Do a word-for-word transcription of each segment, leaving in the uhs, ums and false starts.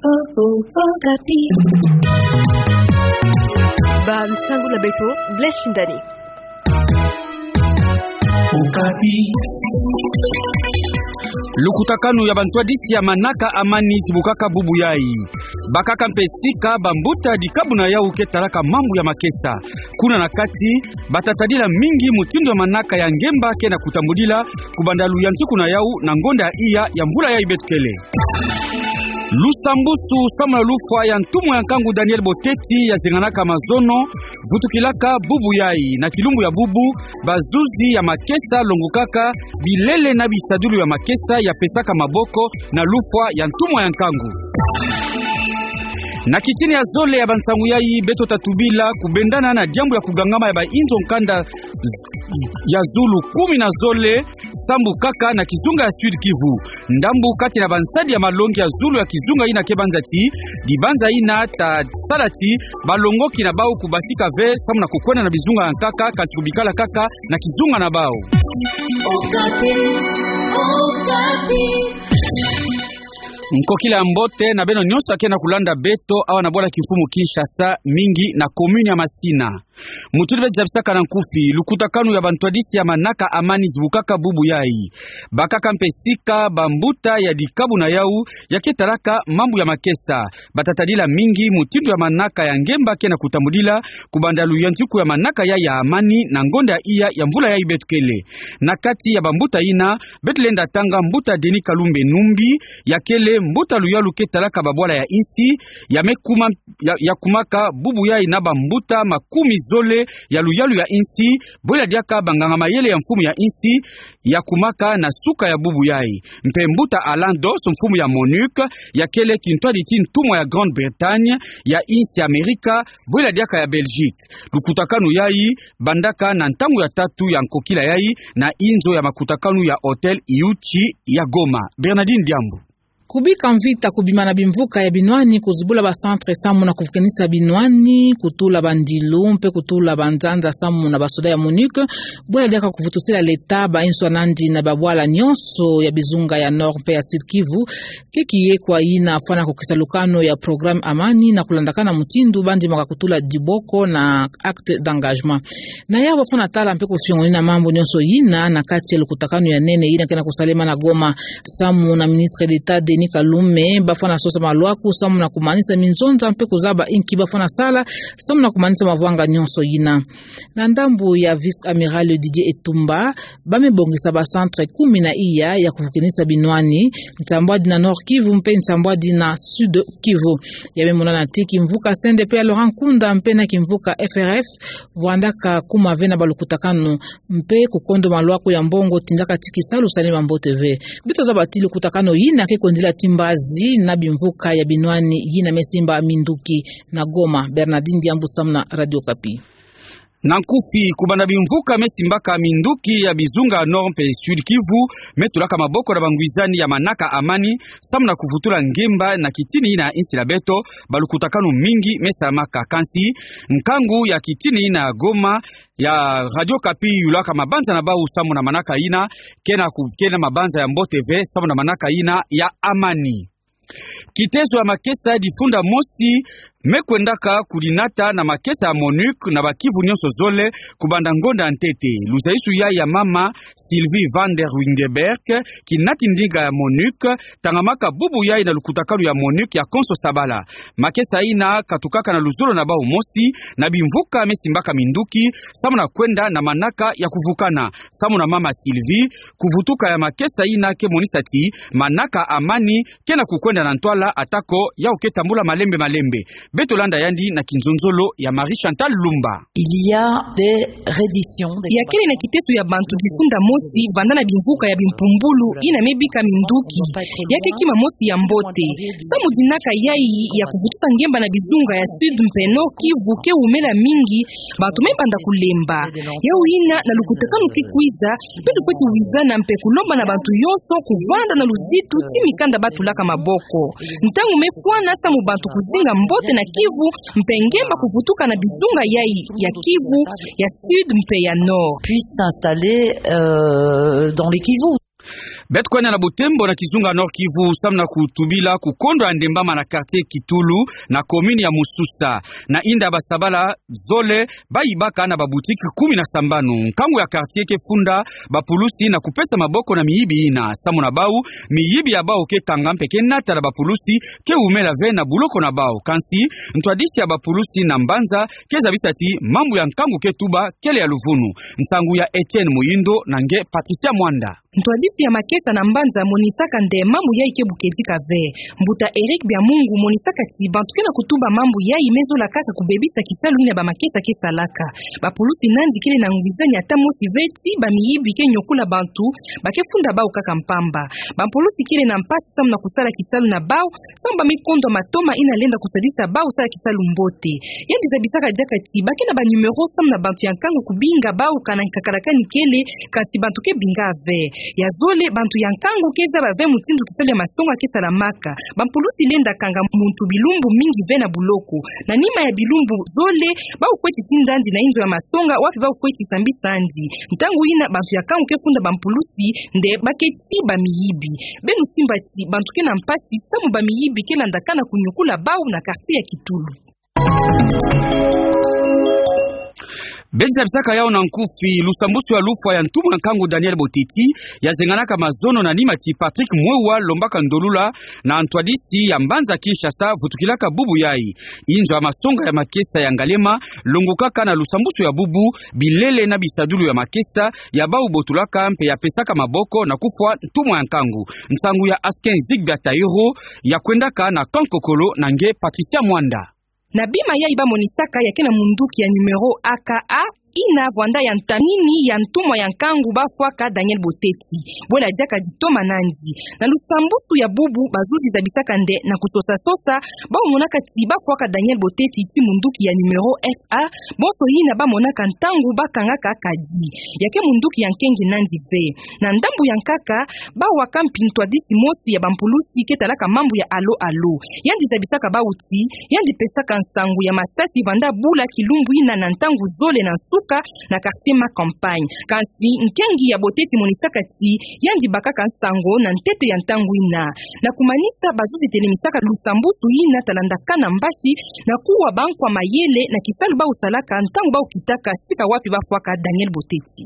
Okapi. Ba nsangula beto, Blaise Shindani. Okapi. Lukutakanu ya bantwadisi ya manaka amani zibukaka bubu yai. Bakaka mpe sika bambuta dikabu na yau ke talaka mambu ya makesa. Kuna na kati, batatadila mingi mutindu ya manaka ya ngemba ke na kutambudila, kubanda luyantiku na yau na ngonda ya iya ya mvula yai beto kele. Lusambusu samu na lufwa ya ntumwa ya nkangu Daniel Boteti ya zenganaka mazono, vutukilaka bubu yai. Na kilumbu ya bubu, bazuzi ya makesa longukaka bilele na bisadulu ya makesa ya pesaka maboko na lufwa ya ntumwa ya nkangu. Na kitini ya zole ya bansangu yai, beto tatubila kubendana na diambu ya kugangama ya bainzo nkanda ya zulu kumi na zole, sambu kaka na kizunga ya Sud Kivu. Ndambu kati na bansadi ya malongi ya zulu ya kizunga ina ke banza ti, dibanza ina tasala ti balongoki na bau kubasika ve samu na kukwenda na bizunga ya nkaka, kasi kubikala kaka na kizunga na bau. Okapi, Okapi. Nkokila ya mbote na beno nyonso ya ke na kulanda beto awa na bwala kimfumu Kinshasa, mingi na commune ya Masina. Mutindu beto zabisaka na nkufi, lukutakanu ya bantwadisi ya manaka amani zibukaka bubu yai. Bakaka mpe sika bambuta ya dikabu na yau ya ke talaka mambu ya makesa. Batatadila mingi mutindu ya manaka ya ngemba ke na kutambudila, kubanda luyantiku ya manaka yai ya amani na ngonda ya iya ya mvula yai beto kele. Na kati ya bambuta ina, beto lenda tanga mbuta Denis Kalumbe Numbi, ya kele mbuta luyalu ke talaka babwala ya insi, ya me kuma ya, ya kumaka bubu yai na bambuta makumi zole ya luyalu ya insi, bwela diaka banganga mayele ya mfumu ya insi, ya kumaka na suka ya bubu yai. Mpe mbuta Alan Dos, mfumu ya MONUC, ya kele kintwadi ti ntumwa ya Grande-Bretagne, ya insi ya Amerika, bwela diaka ya Belgique. Lukutakanu yai bandaka na ntangu ya tatu ya nkokila yai na inzo ya makutakanu ya Hôtel Iuchi ya Goma. Bernardine Diambu. Kubika mvita, kubima na bimvuka ya binwani, kuzibula ba centre samu na kuvukenisa binwani, kutula bandilu, mpe kutula banzanza samu na basoda ya MONUC, bwela diaka kuvutusila leta bainzo nandi na babwala nyonso ya bizunga ya Nord mpe ya Sud Kivu, ke kiye kwa ina fwana kukisa lukano ya programme amani na kulandakana mutindu bandimaka kutula diboko na acte d'engagement. Na yau bafwana tala mpe kufiongonina mambu nyonso ina na kati ya lukutakanu ya nene ina ke na kusalema na Goma. Samu na ministre d'État Denis Kalume, bafwana sosa malwaku samu na kumanisa minzonza mpe kuzaba inki bafwana sala samu na kumanisa mavwanga nyonso ina. Na ndambu ya vice-amiral Didier Etumba, ba me bongisa ba centre kumi na iya ya kuvukenisa binwani, nsambwadi na Nord Kivu mpe nsambwadi na Sud Kivu. Ya me monana ti kimvuka C N D P ya Laurent Nkunda mpe na kimvuka F R F vwandaka kuma ve na balukutakanu, mpe kukondo malwaku ya mbongo tindaka ti kisalu salema mbote ve. Beto zaba ti lukutakanu ina ke kwendila ti mbazi na bimvuka ya binwani ina me simba minduki. Na Goma, Bernardine Diambu samu na Radio Okapi. Na nkufi, kubanda bimvuka me simbaka minduki ya bizunga Nord mpe Sud Kivu, me tulaka maboko na bangwizani ya manaka amani, samu na kuvutula ngemba na kitini ina ya insi na beto, balukutakanu mingi me salamaka. Kansi, nkangu ya kitini ina ya Goma, ya Radio Okapi yulaka mabanza na bau samu na manaka ina, ke na ku-, ke na mabanza ya mbote ve samu na manaka ina ya amani. Kitezo ya makesa difunda mosi me kwendaka kudinata na makesa ya MONUC na ba Kivu nyonso zole kubanda ngonda ntete. Luzaisu yai ya mama Sylvie van der Wingenberg, kinati ndinga ya MONUC, tangamaka bubu yai na lukutakanu ya MONUC ya konso sabala. Makesa ina katukaka na luzolo na bau mosi na bimvuka me simbaka minduki, samu na kwenda na manaka ya kuvukana. Samu na mama Sylvie, kuvutuka ya makesa ina ke monisa ti manaka amani ke na kukwenda na ntwala, atako yau ke tambula malembe malembe. Beto landa yandi na kinzonzolo ya Marie Chantal Lumba. Il y a des redditions, des... Ya kele na kiteso ya bantu difunda mosi vanda na bimvuka ya bimpumbulu ina me bika minduki. Ya ke kima mosi ya mbote. Samu dinaka yai ya kuvutuka ngemba na bizunga ya Sud mpe Nord Kivu ke wumela mingi, bantu me banda kulemba. Yau ina, na lukutakanu ki kwiza, beto fweti wizana mpe kulomba na bantu yonso kuvanda na luzitu ti mikanda ba tulaka maboko. Ntangu me fwana samu bantu kuzinga mbote na Kivu, mpe ngemba kuvutuka na bizunga yai ya Kivu, ya Sud mpe ya Nord. Puisse s'installer, euh, dans les Kivu. Beto kwenda na Butembo na kizunga Nord-Kivu, samu na kutubila kukondwa ya ndembama na quartier Kitulu, na commune ya Mususa. Na inda ya basabala zole, bayibaka na baboutique kumi na sambanu. Nkangu ya quartier ke funda bapulusi na kupesa maboko na miyibi yina. Samu na bau, miyibi ya bau ke kanga mpe ke nata na bapulusi, ke wumela ve na buloko na bau. Kansi, ntwadisi ya bapulusi na mbanza ke zabisa ti mambu ya nkangu ke tuba kele ya luvunu. Nsangu ya Etienne Muyindo na nge Patricia Mwanda. Ntwadisi ya makesa na mbanza amonisaka nde mambu yayi ke bukedika ve. Mbuta Eric Biamungu amonisaka ti bantu ke na kutuba mambu yayi me zola kaka kubebisa kisalu yina bamakesa ke salaka. Bapulusi nandi kele na ngwizani ata mosi ve ti bamiyibi ke nyokula bantu, ba ke funda bau kaka mpamba. Bapulusi kele na mpasi samu na kusala kisalu na bau, samu ba me kondwa matoma yina lenda kusadisa bau sala kisalu mbote. Yandi zabisaka diaka ti ba ke na banumero samu na bantu ya nkangu kubinga bau kana nkakalakani kele, kansi bantu ke binga ve. Ya zole, bantu ya nkangu ke zaba ve mutindu kisalu ya masonga ke salamaka. Bapulusi lenda kanga muntu bilumbu mingi ve na buloko. Na nima ya bilumbu zole, bau kweti tinda yandi na inzo ya masonga, wapi bau kweti sambisa yandi. Ntangu yina bantu ya nkangu ke funda bapulusi nde ba ke ti bamiyibi. Beno simba ti bantu ke na mpasi samu bamiyibi ke landakana kunyokula bau na quartier ya Kitulu. Beto zabisaka yau na nkufi. Lusambusu ya lufwa ya ntumwa ya nkangu Daniel Boteti yazenganaka mazono na nima ti Patrick Mwewa alombaka ndolula na ntwadisi ya mbanza Kinshasa vutukilaka bubu yayi. Inzo ya masonga ya makesa ya Ngaliema longokaka na lusambusu ya bubu, bilele na bisadulu ya makesa ya bau botulaka mpe ya pesaka maboko na kufwa ntumwa ya nkangu. Nsangu ya Askin Zigbia Taïro, ya kwendaka na Kankokolo na nge Patricia Mwanda. Na bima yayi bamonisaka ya ke na munduki ya numero A K A, yina vwanda ya ntamini ya ntumwa ya nkangu bafwaka Daniel Boteti. Bwela diaka ditoma nandi. Na lusambusu ya bubu, bazuzi zabisaka nde na kusosa-sosa, bau monaka ti bafwaka Daniel Boteti ti munduki ya numero F A, bonso yina bamonaka ntangu bakangaka kadi. Ya ke munduki ya nkengi nandi ve. Na ndambu ya nkaka, bawaka mpi ntwadisi mosi ya bampulusi ke talaka mambu ya alo-alo. Yandi zabisaka bau ti, yandi pesaka nsangu ya masasi vwanda bula kilumbu yina na ntangu zole na nsuka na quartier Ma Campagne. Kansi nkengi ya Boteti amonisaka ti, yandi bakaka nsangu na ntete ya ntangu yina. Na kumanisa, bazuzi telemisaka lusambusu yina talandakana mbasi na kuwa bankwa mayele na kisalu bau salaka ntangu bau kitaka sika wapi bafwaka Daniel Boteti.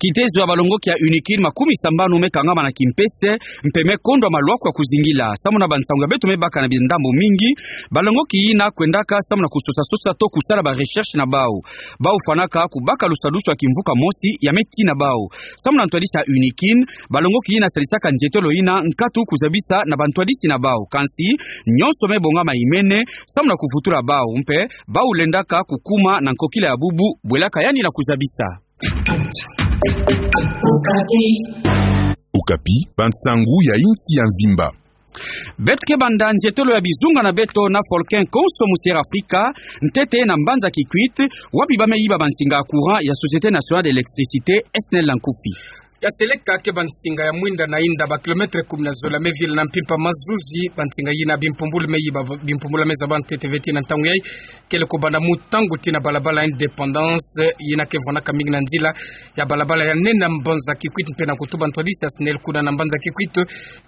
Kitezo ya balongoki ya UNIKIL makumi sambanu me kangama na kimpese, mpe me kondwa malwaku ya kuzingila. Samu na bansangu ya beto me baka na bindambu mingi, balongoki yina kwendaka samu na kusosa-sosa to kusala ba recherche na bau. Bau fwanaka kubaka lusadusu ya kimvuka mosi ya me tina bau. Samu na ntwadisi ya UNIKIL, balongoki yina sadisaka nzietolo yina nkatu kuzabisa na bantwadisi na bau. Kansi, nyonso me bongama imene, samu na kuvutula bau, mpe bau lendaka kukuma na nkokila ya bubu, bwelaka yandi na kuzabisa. Okapi, bansangu ya insi ya mvimba. Beto ke banda nzietolo ya bizunga na beto na Volcan Konso mu Sierra Africa, ntete na mbanza Kikwit, wapi ba me yiba bansinga ya courant ya Société Nationale d'Électricité, SNEL na nkufi. Ya seleka ke bansinga ya mwinda na inda ba kilomètre kumi na zole ya me vila na mpimpa mazuzi, bansinga yina bimpumbulu me yiba, bimpumbulu me zaba ntete ve ti na ntangu yayi, kele kubanda mu ntangu ti na balabala Indépendance, yina ke vwanaka mingi na nzila ya balabala ya nene na mbanza Kikwit, mpe na kutuba ntwadisi ya SNEL kuna na mbanza Kikwit,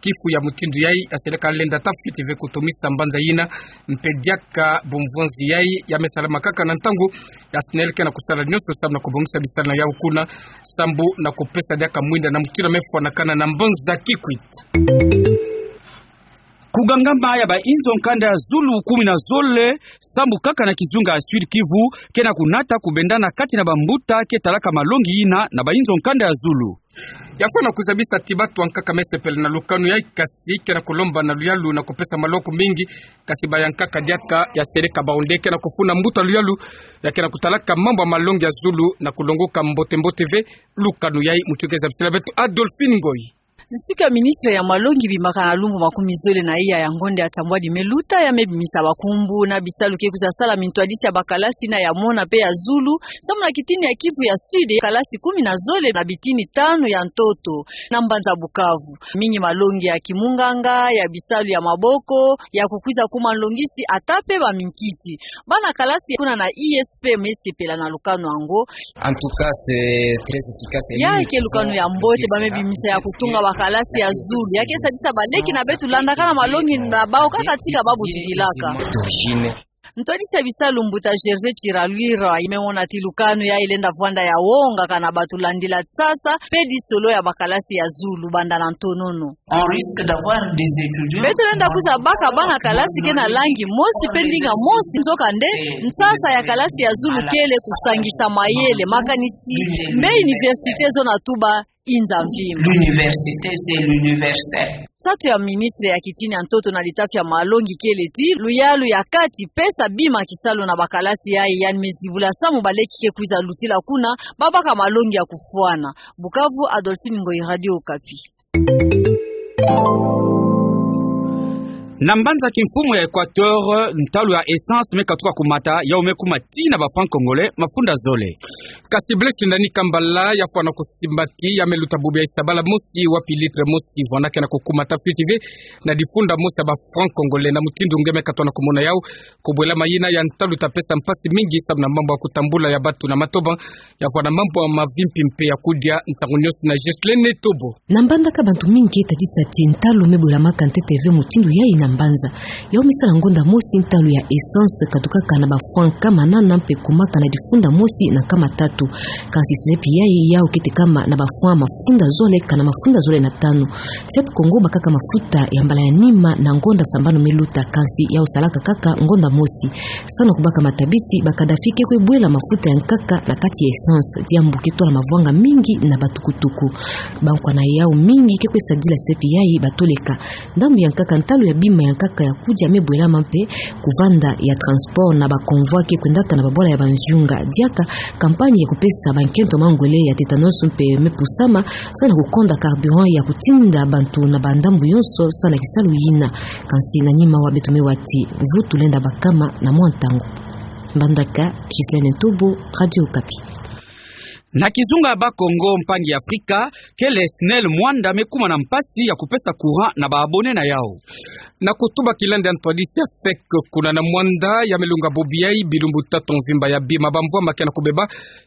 kifu ya mutindu yayi, ya seleka lenda tafiti ve kutumisa mbanza yina, mpe diaka bumvonzi yayi, ya me salama kaka na ntangu ya SNEL ke na kusala nyonso samu na kubongisa bisalu na yau kuna, sambu na kupesa diaka mwinda na mutindu ya me fwanakana na mbanza Kikwit. Kugangama ya ba inzo nkanda ya zulu kumi na zole sambu kaka na kizunga ya Sud-Kivu, ke na kunata kubendana kati na bambuta ke talaka malongi yina na ba inzo nkanda ya zulu. Ya fwana kuzabisa ti bato ya nkaka me sepela na lukanu yayi, kasi ke na kulomba na luyalu na kupesa maloko mingi, kasi ba ya nkaka diaka ya seleka bau nde ke na kufuna mbuta luyalu ya ke na kutalaka mambu ya malongi ya zulu na kulongoka mbote-mbote ve lukanu yayi. Mutu ke zabisila beto Adolphine Ngoyi. Nsiku ya ministre ya malongi bimbakana lumbu makumi zole na iya ya ngonda ya ntambwadi me luta, ya me bimisa bakumbu na bisalu ke kwiza salama, ntwadisi ya bakalasi na ya mona mpe ya zulu, samu na kitini ya Kivu ya Sud, kalasi kumi na zole na bitini tanu ya ntoto na mbanza Bukavu. Mingi malongi ya kimunganga, ya bisalu ya maboko, ya kukwiza kuma nlongisi, ata mpe baminkiti. Bana kalasi kuna na I S P me sepela na lukanu yango. En tout cas, c'est très efficace. Ya ke lukanu ya mbote ba me bimisa ya kutunga ba kalasi ya zulu, ya ke sadisa baleki na beto landakana malongi na bau kaka tika babu tudilaka. Ntwadisi ya bisalu mbuta Gervais Chiralwira, ime mona ti lukanu yayi lenda vwanda ya wonga kana bato landila nsasa pe disolo ya bakalasi ya zulu banda na ntonono. On risque d'avoir des étudiants. Beto lenda kwiza baka bana kalasi ke na langi mosi pe ndinga mosi, nzokande nsasa ya kalasi ya zulu kele kusangisa mayele, makanisi mbe université zona tuba inza mvimba. L'université, c'est l'universel. Nsatu ya ministre ya kitini ya ntoto na litafi ya malongi kele ti luyalu ya kati pesa bima kisalu na bakalasi yayi, yandi me zibula samu baleki ke kwiza lutila kuna, babaka malongi ya kufwana. Bukavu, Adolphine Ngoyi, Radio Okapi. Na mbanza kimfumu ya Equateur, ntalu ya essence me katuka kumata, yau me kuma tii na ba francs congolais mafunda zole. Kasi Blaise Ndani Kambala yafwana kusimba ti ya me luta bubu ya isa bala mosi wapi litre mosi vwanda ke na kukumata fiti ve na difunda mosi ya ba francs congolais. Na mutindu nge me katona kumona yau, kubwela mayina ya ntalu ta pesa mpasi mingi samu na mambu ya kutambula ya bato na matoba, yafwana mambu ya mavimpi mpe ya kudia. Nsangu nionso na Ghislaine Tobo. Na mbandaka bantu mingi ke tadisa ti ntalu me bwelamaka ntete ve mutindu yayi na mbanza. Yau me sala ngonda mosi ntalu ya essence katukaka na ba francs nkama nana mpe kumaka na difunda mosi na nkama tatu. Kansi silepi yayi yau ke tekama na ba francs mafunda zole kana mafunda zole na tanu. Siat Congo bakaka mafuta ya mbala ya nima na ngonda sambanu me luta, kansi yau salaka kaka ngonda mosi. Samu na kubaka matabisi, ba Kadhafi ke kwe bwela mafuta ya nkaka na kati ya essence, diambu ke tola mavwanga mingi na batukutuku. Bankwa na yau mingi ke kwe sadila silepi yayi batoleka. Ndambu ya nkaka, ntalu ya bima ya nkaka ya kudia me bwelama mpe kuvanda ya transport na ba convoi ke kwendaka na babwala ya banziunga. Diaka campagne ya kupesa bankento mangwele ya tétanos mpe me pusama, samu na kukonda carburant ya kutinda bantu na bandambu yonso samu na kisalu yina. Kansi na nima wa beto me wa ti mvutu lenda bakama na mwa ntangu. Mbandaka, Ghislaine Tobo, Radio Okapi. Na kizunga ya Bakongo, mpangi ya Afrika, kele SNEL Muanda me kuma na mpasi ya kupesa courant na ba abonnés na yau. Na kutuba kilandi ya ntwadisi ya FEC kuna na Muanda, ya me lunga bubu yayi bilumbu tatu mvimba ya bima bamvwama ke na kubeba,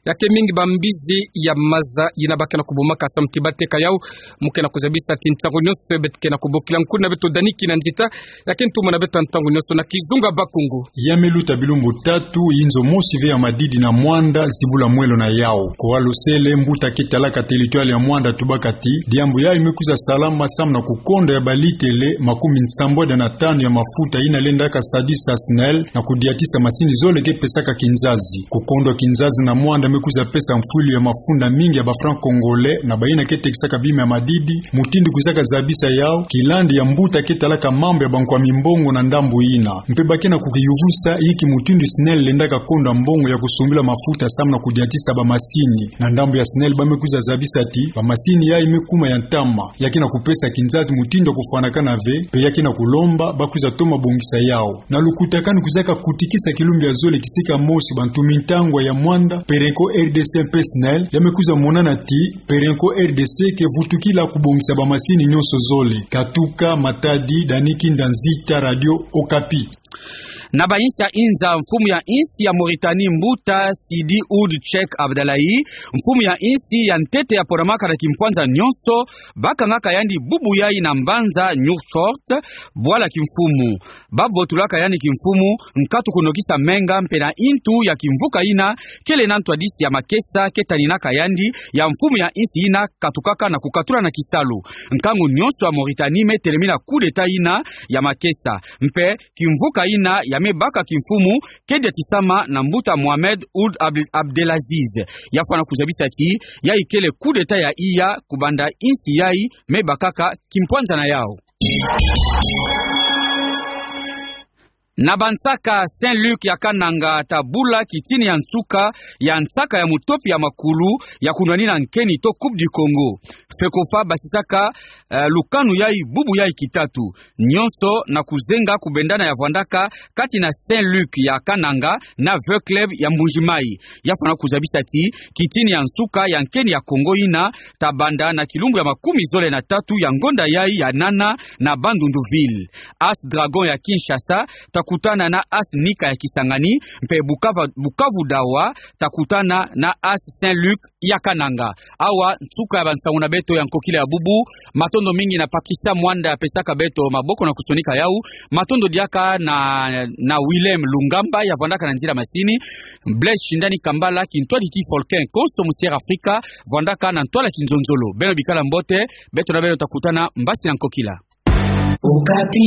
ya ke mingi bambizi ya maza yina ba ke na kubumaka samu ti bateka yau. Mu ke na kuzabisa ti ntangu nionso beto ke na kubokila nkundi na beto Dani Kinanzita, ya ke ntumwa na beto ntangu nionso na kizunga Bakongo. Ya me luta bilumbu tatu, inzo mosi ve ya madidi na Muanda, zibula mwelo na yau. Kwa Losele, mbuta ke talaka territoire ya Muanda, tubaka ti diambu yayi me kwiza salama samu na kukonda ya balitele makumi nsambwadi na tanu ya mafuta yina lendaka sadisa SNEL na kudiatisa masini zole ke pesaka kinzazi. Kukondwa kinzazi na Muanda me kwiza pesa mfwilu ya mafunda mingi ya ba francs congolais na bayina ke tekisaka bima ya madidi, mutindu kwizaka zabisa yau, kilandi ya mbuta ke talaka mambu ya bankwa mimbongo na ndambu yina. Mpe ba ke na kukiyuvusa inki mutindu SNEL lendaka konda mbongo ya kusumbila mafuta samu na kudiatisa bamasini. Na ndambu ya SNEL ba me kwiza zabisa ti bamasini yayi me kuma ya ntama, ya ke na kupesa kinzazi mutindu ya kufwanakana ve, mpe ya ke na kulomba ba kwiza toma bongisa yau. Na lukutakanu kwizaka kutikisa kilumbu ya zole kisika mosi bantu mintangwa ya Muanda, Perenco R D C mpe SNEL, ya me kwiza monana ti Perenco R D C ke vutukila kubongisa bamasini nionso zole. Katuka Matadi, Dani Kinanzita, Radio Okapi. Na ba insi ya inza, mfumu ya insi ya Mauritanie mbuta Sidi Ould Cheikh Abdallah, mfumu ya insi ya ntete ya ponamaka na kimpwanza nionso, ba kangaka yandi bubu yayi na mbanza Nouakchott, bwala kimfumu. Ba votulaka yandi kimfumu, nkatu kunokisa menga mpe na intu ya kimvuka yina kele na ntwadisi ya makesa ke taninaka yandi ya mfumu ya insi yina katukaka na kukatula na kisalu. Nkangu nionso ya Mauritanie me telemina coup d'État yina ya makesa. Mpe kimvuka yina ya me baka kimfumu ke diatisama na mbuta Mohamed Ould Ab-, Abdelaziz. Ya fwana kuzabisa ti yayi kele coup d'État ya iya kubanda insi yayi me bakaka kimpwanza na yau. Na bansaka, Saint-Luc ya Kananga ta bula kitini ya nsuka ya nsaka ya mutopi ya makulu ya kunwanina nkeni to Coupe du Congo. FECOFA basisaka, eh, lukanu yayi bubu yayi kitatu. Nionso na kuzenga kubendana ya vwandaka kati na Saint-Luc ya Kananga na Vœux Club ya Mbuji-Mayi. Ya fwana kuzabisa ti kitini ya nsuka ya nkeni ya Congo yina ta banda na kilumbu ya makumi zole na tatu ya ngonda yayi ya nana na Bandundu-Ville. As Dragon ya Kinshasa ta kutana na As Nika ya Kisangani, mpe Bukava-, Bukavu Dawa ta kutana na As Saint-Luc ya Kananga. Awa nsuka ya bansangu na beto ya nkokila ya bubu. Matondo mingi na Patricia Mwanda ya pesaka beto maboko na kusonika yawu. Matondo diaka na, na Willem Lungamba ya vwandaka na nzila masini. Blaise Shindani Kambala, kintwadi ki folkin konso mu Sierra Afrika, vwandaka na ntwala kinzonzolo. Beno bikala mbote, beto na beno ta kutana mbasi na nkokila. Okapi.